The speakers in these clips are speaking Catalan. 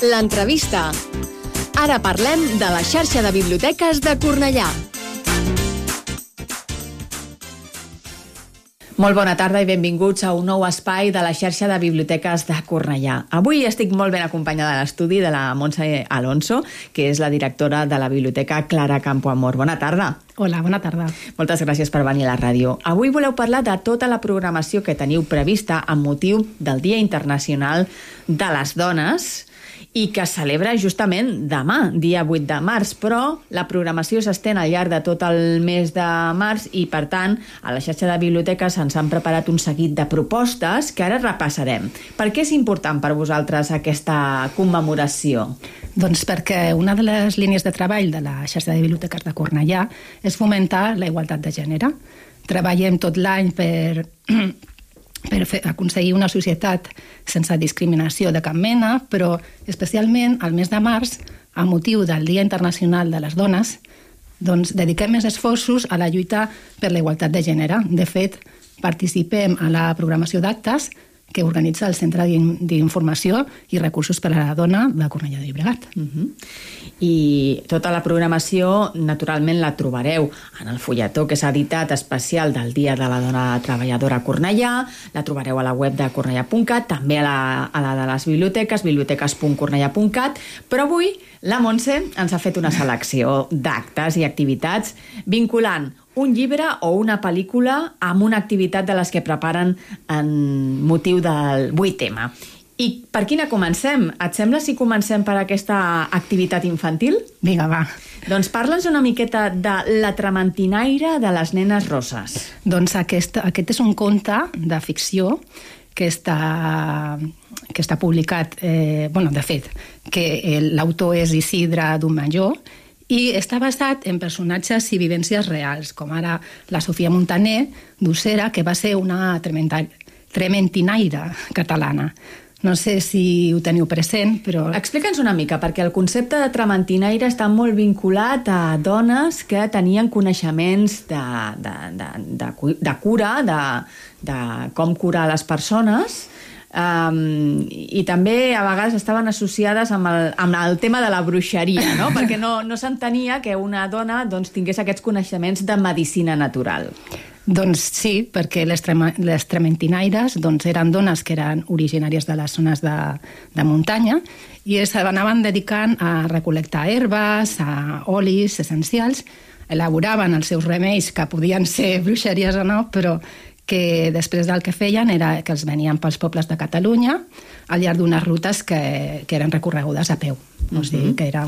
L'entrevista. Ara parlem de la xarxa de biblioteques de Cornellà. Molt bona tarda i benvinguts a un nou espai de la xarxa de biblioteques de Cornellà. Avui estic molt ben acompanyada a l'estudi de la Montse Alonso, que és la directora de la Biblioteca Clara Campoamor. Bona tarda. Hola, bona tarda. Moltes gràcies per venir a la ràdio. Avui voleu parlar de tota la programació que teniu prevista amb motiu del Dia Internacional de les Dones i que es celebra justament demà, dia 8 de març, però la programació s'estén al llarg de tot el mes de març i, per tant, a la xarxa de biblioteques ens han preparat un seguit de propostes que ara repassarem. Per què és important per vosaltres aquesta commemoració? Doncs perquè una de les línies de treball de la xarxa de biblioteques de Cornellà és fomentar la igualtat de gènere. Treballem tot l'any per aconseguir una societat sense discriminació de cap mena, però especialment al mes de març, a motiu del Dia Internacional de les Dones, doncs dediquem més esforços a la lluita per la igualtat de gènere. De fet, participem a la programació d'actes que organitza el Centre d'Informació i Recursos per a la Dona de Cornellà de Llobregat. I tota la programació, naturalment, la trobareu en el fulletó que s'ha editat especial del Dia de la Dona Treballadora a Cornellà, la trobareu a la web de cornellà.cat, també a la de les biblioteques, biblioteques.cornellà.cat, però avui la Montse ens ha fet una selecció d'actes i activitats vinculant un llibre o una pel·lícula amb una activitat de les que preparen en motiu del 8M. I per quina comencem? Et sembla si comencem per aquesta activitat infantil? Vinga, va. Doncs parla'ns una miqueta de La trementinaire de les nenes rosses. Doncs aquest és un conte de ficció que està publicat, de fet, que l'autor és Isidre Domenjó, i està basat en personatges i vivències reals, com ara la Sofia Montaner, d'Ossera, que va ser una trementinaire catalana. No sé si ho teniu present, però... Explica'ns una mica, perquè el concepte de trementinaire està molt vinculat a dones que tenien coneixements de cura, de com curar les persones, i també a vegades estaven associades amb el tema de la bruixeria, no? Perquè no s'entenia que una dona tingués aquests coneixements de medicina natural. Doncs sí, perquè les trementinaires eren dones que eren originàries de les zones de muntanya i s'anaven dedicant a recol·lectar herbes, a olis essencials, elaboraven els seus remeis, que podien ser bruixeries o no, però que després del que feien era que els venien pels pobles de Catalunya al llarg d'unes rutes que eren recorregudes a peu. O sigui, que era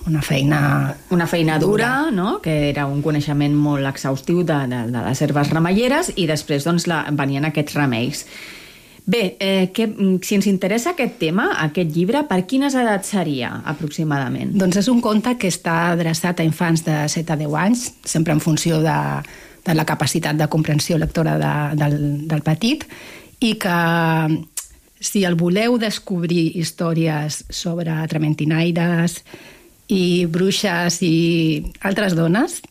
una feina dura, no? Que era un coneixement molt exhaustiu de les herbes remeieres i després venien aquests remeis. Bé, si ens interessa aquest tema, aquest llibre, per quines edats seria, aproximadament? Doncs és un conte que està adreçat a infants de 7 a 10 anys, sempre en funció de la capacitat de comprensió lectora del petit, i que si el voleu descobrir històries sobre trementinaires i bruixes i altres dones,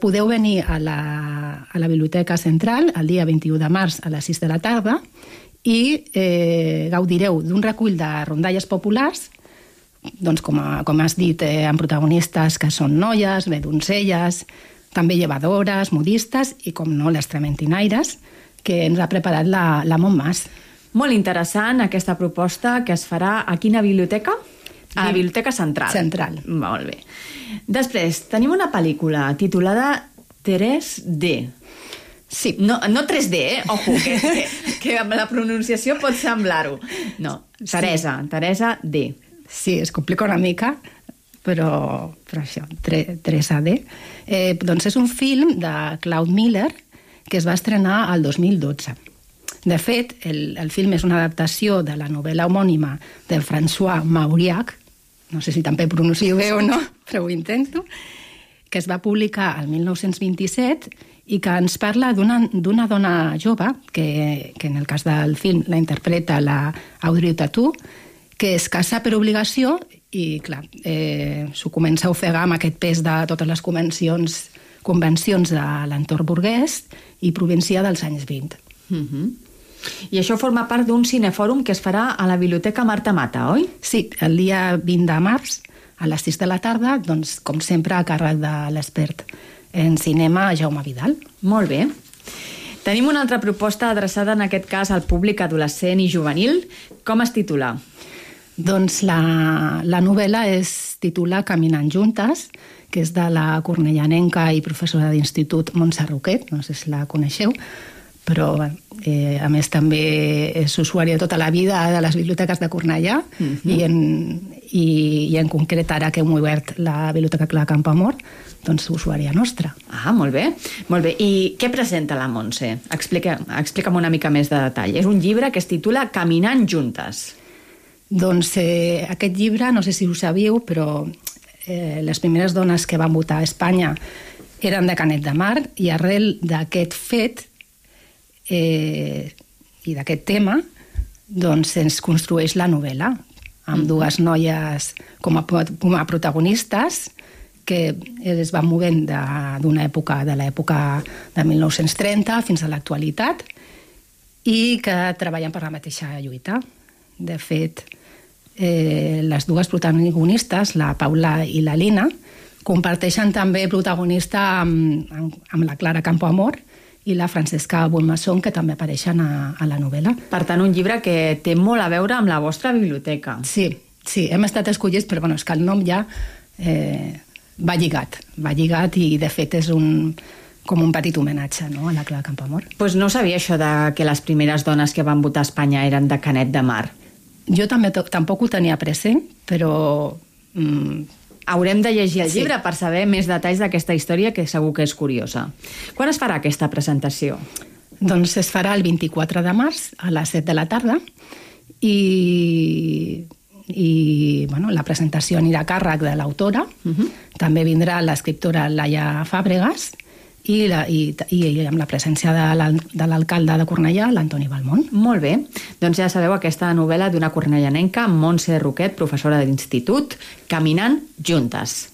podeu venir a la Biblioteca Central el dia 21 de març a les 6 de la tarda i gaudireu d'un recull de rondalles populars, doncs com has dit, amb protagonistes que són noies, doncelles, també llevadores, modistes i, com no, les trementinaires, que ens ha preparat la Montmas. Molt interessant aquesta proposta que es farà a quina biblioteca? A la Biblioteca Central. Central. Molt bé. Després, tenim una pel·lícula titulada 3D. Sí. No 3D, Ojo, que amb la pronunciació pot semblar-ho. No, Teresa D. Sí, es complica una mica, però això, 3AD. Doncs és un film de Claude Miller que es va estrenar el 2012. De fet, el film és una adaptació de la novel·la homònima de François Mauriac, no sé si també pronuncio bé o no, però ho intento, que es va publicar el 1927 i que ens parla d'una dona jove, que en el cas del film la interpreta la Audrey Tautou, que es casa per obligació i, clar, s'ho comença a ofegar amb aquest pes de totes les convencions de l'entorn burguès i província dels anys 20. I això forma part d'un cinefòrum que es farà a la Biblioteca Marta Mata, oi? Sí, el dia 20 de març, a les 6 de la tarda, doncs, com sempre, a càrrec de l'expert en cinema, Jaume Vidal. Molt bé. Tenim una altra proposta adreçada, en aquest cas, al públic adolescent i juvenil. Com es titula? Doncs la novel·la es titula Caminant juntes, que és de la cornellanenca i professora d'institut Montse Roquet, no sé si la coneixeu, però a més també és usuària tota la vida de les biblioteques de Cornellà i en concret ara que hem obert la Biblioteca Clara Campoamor, doncs usuària nostra. Ah, molt bé. Molt bé. I què presenta la Montse? Explica'm una mica més de detall. És un llibre que es titula Caminant juntes. Doncs aquest llibre, no sé si ho sabíeu, però les primeres dones que van votar a Espanya eren de Canet de Mar i arrel d'aquest fet i d'aquest tema doncs ens construeix la novel·la amb dues noies com a protagonistes que es van movent d'una època, de l'època de 1930 fins a l'actualitat i que treballen per la mateixa lluita. De fet, les dues protagonistes, la Paula i la Lina, comparteixen també protagonista amb la Clara Campoamor i la Francesca Bonmasson, que també apareixen a la novel·la. Per tant, un llibre que té molt a veure amb la vostra biblioteca. Sí, hem estat escollits, però és que el nom ja va lligat i de fet és com un petit homenatge, no?, a la Clara Campoamor. Doncs no sabia això de que les primeres dones que van votar a Espanya eren de Canet de Mar. Jo també tampoc ho tenia present, però haurem de llegir el llibre per saber més detalls d'aquesta història, que segur que és curiosa. Quan es farà aquesta presentació? Doncs es farà el 24 de març a les 7 de la tarda i la presentació anirà a càrrec de l'autora. També vindrà l'escriptora Laia Fàbregas i amb la presència de l'alcalde de Cornellà, l'Antoni Balmont. Molt bé. Doncs ja sabeu, aquesta novel·la d'una cornellanenca, Montse Roquet, professora d'institut, Caminant juntes.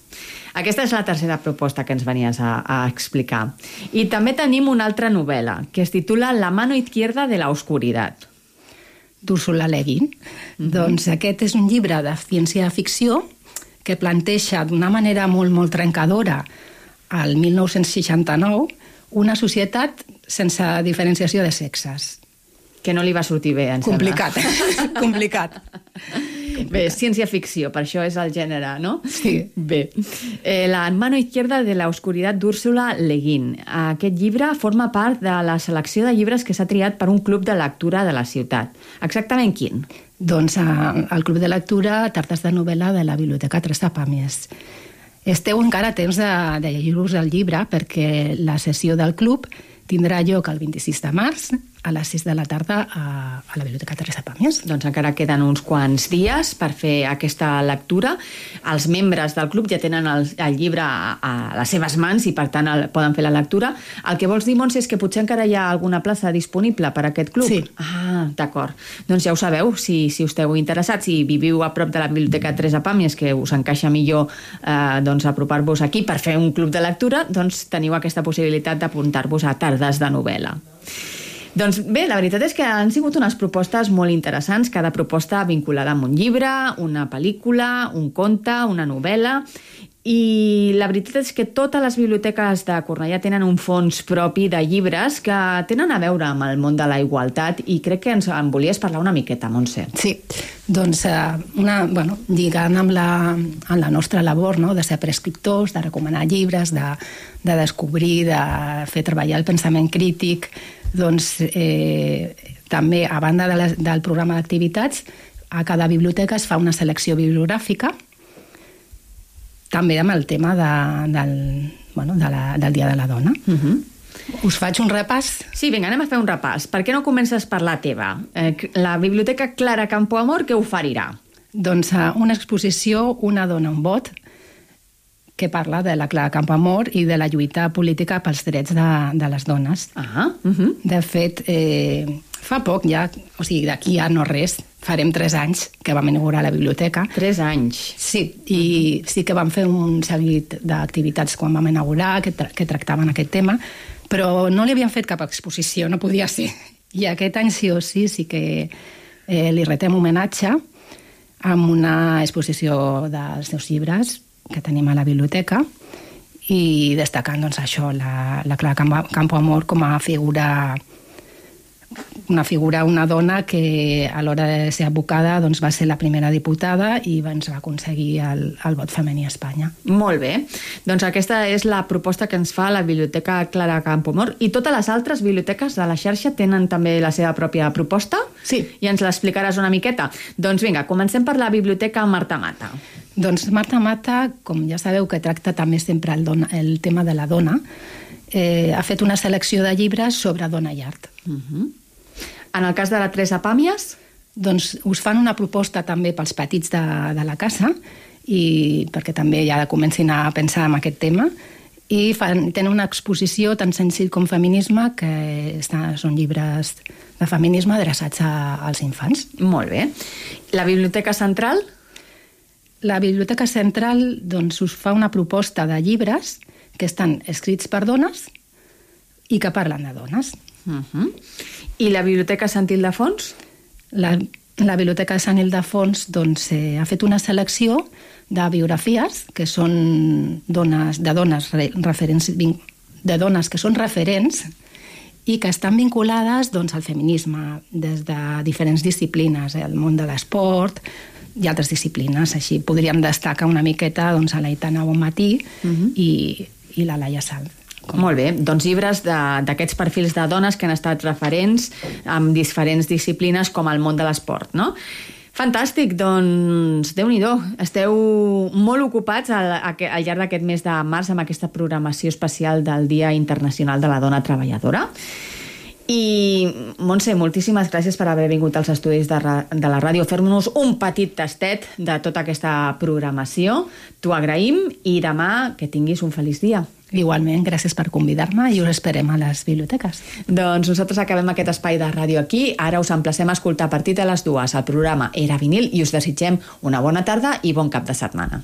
Aquesta és la tercera proposta que ens venies a explicar. I també tenim una altra novel·la, que es titula La mano izquierda de la oscuridad. d'Úrsula Le Guin. Doncs aquest és un llibre de ciència-ficció que planteja d'una manera molt, molt trencadora al 1969 una societat sense diferenciació de sexes. Que no li va sortir bé, em Complicat, complicat. Bé, ciència-ficció, per això és el gènere, no? Sí. Bé. La mano izquierda de la oscuridad d'Úrsula Le Guin. Aquest llibre forma part de la selecció de llibres que s'ha triat per un club de lectura de la ciutat. Exactament quin? Doncs el club de lectura Tartes de novel·la de la Biblioteca Teresa Pàmies. Esteu encara a temps de llegir-vos el llibre perquè la sessió del club tindrà lloc el 26 de març a les 6 de la tarda a la Biblioteca Teresa Pàmies. Doncs encara queden uns quants dies per fer aquesta lectura. Els membres del club ja tenen el llibre a les seves mans i, per tant, poden fer la lectura. El que vols dir, Montse, és que potser encara hi ha alguna plaça disponible per a aquest club? Sí. Ah, d'acord. Doncs ja ho sabeu, si us esteu interessats, si viviu a prop de la Biblioteca Teresa Pàmies, que us encaixa millor doncs apropar-vos aquí per fer un club de lectura, doncs teniu aquesta possibilitat d'apuntar-vos a tardes de novel·la. Doncs bé, la veritat és que han sigut unes propostes molt interessants, cada proposta vinculada amb un llibre, una pel·lícula, un conte, una novel·la, i la veritat és que totes les biblioteques de Cornellà tenen un fons propi de llibres que tenen a veure amb el món de la igualtat i crec que en volies parlar una miqueta, Montse. Sí, doncs lligant amb la nostra labor, no?, de ser prescriptors, de recomanar llibres, de descobrir, de fer treballar el pensament crític, doncs també, a banda del programa d'activitats, a cada biblioteca es fa una selecció bibliogràfica, també amb el tema del Dia de la Dona. Us faig un repàs? Sí, vinga, anem a fer un repàs. Per què no comences per la teva? La Biblioteca Clara Campoamor què oferirà? Doncs una exposició Una dona, un vot, que parla de la Clara Campoamor i de la lluita política pels drets de les dones. De fet, fa poc ja, o sigui, d'aquí ja no res, farem 3 anys que vam inaugurar la biblioteca. 3 anys? Sí, i sí que vam fer un seguit d'activitats quan vam inaugurar que tractaven aquest tema, però no li havien fet cap exposició, no podia ser. I aquest any sí o sí que li retem homenatge amb una exposició dels seus llibres que tenim a la biblioteca i destacant doncs, això, la Clara Campoamor com a figura, una dona que a l'hora de ser advocada doncs, va ser la primera diputada i ens va aconseguir el vot femení a Espanya. Molt bé. Doncs aquesta és la proposta que ens fa la Biblioteca Clara Campoamor. I totes les altres biblioteques de la xarxa tenen també la seva pròpia proposta? Sí. I ens l'explicaràs una miqueta? Doncs vinga, comencem per la Biblioteca Marta Mata. Doncs Marta Mata, com ja sabeu que tracta també sempre el tema de la dona, ha fet una selecció de llibres sobre dona i art. En el cas de la Teresa Pàmies? Doncs us fan una proposta també pels petits de la casa i perquè també ja comencin a pensar en aquest tema i tenen una exposició tan senzill com feminisme que són llibres de feminisme adreçats als infants. Molt bé. La Biblioteca Central? La Biblioteca Central doncs, us fa una proposta de llibres que estan escrits per dones i que parlen de dones. I la Biblioteca Sant Ildefons? La Biblioteca de Sant Ildefons doncs, ha fet una selecció de biografies que són de dones que són referents i que estan vinculades doncs, al feminisme des de diferents disciplines, el món de l'esport i altres disciplines. Així podríem destacar una miqueta doncs, a l'Aitana Bonmatí i la Laia Sal. Molt bé, doncs llibres d'aquests perfils de dones que han estat referents amb diferents disciplines com el món de l'esport, no? Fantàstic, doncs Déu-n'hi-do, esteu molt ocupats al llarg d'aquest mes de març amb aquesta programació especial del Dia Internacional de la Dona Treballadora. I, Montse, moltíssimes gràcies per haver vingut als estudis de la ràdio a fer-nos un petit tastet de tota aquesta programació. T'ho agraïm i demà que tinguis un feliç dia. Igualment, gràcies per convidar-me i us esperem a les biblioteques. Doncs nosaltres acabem aquest espai de ràdio aquí. Ara us emplacem a escoltar a partir de les 2 el programa Era Vinil i us desitgem una bona tarda i bon cap de setmana.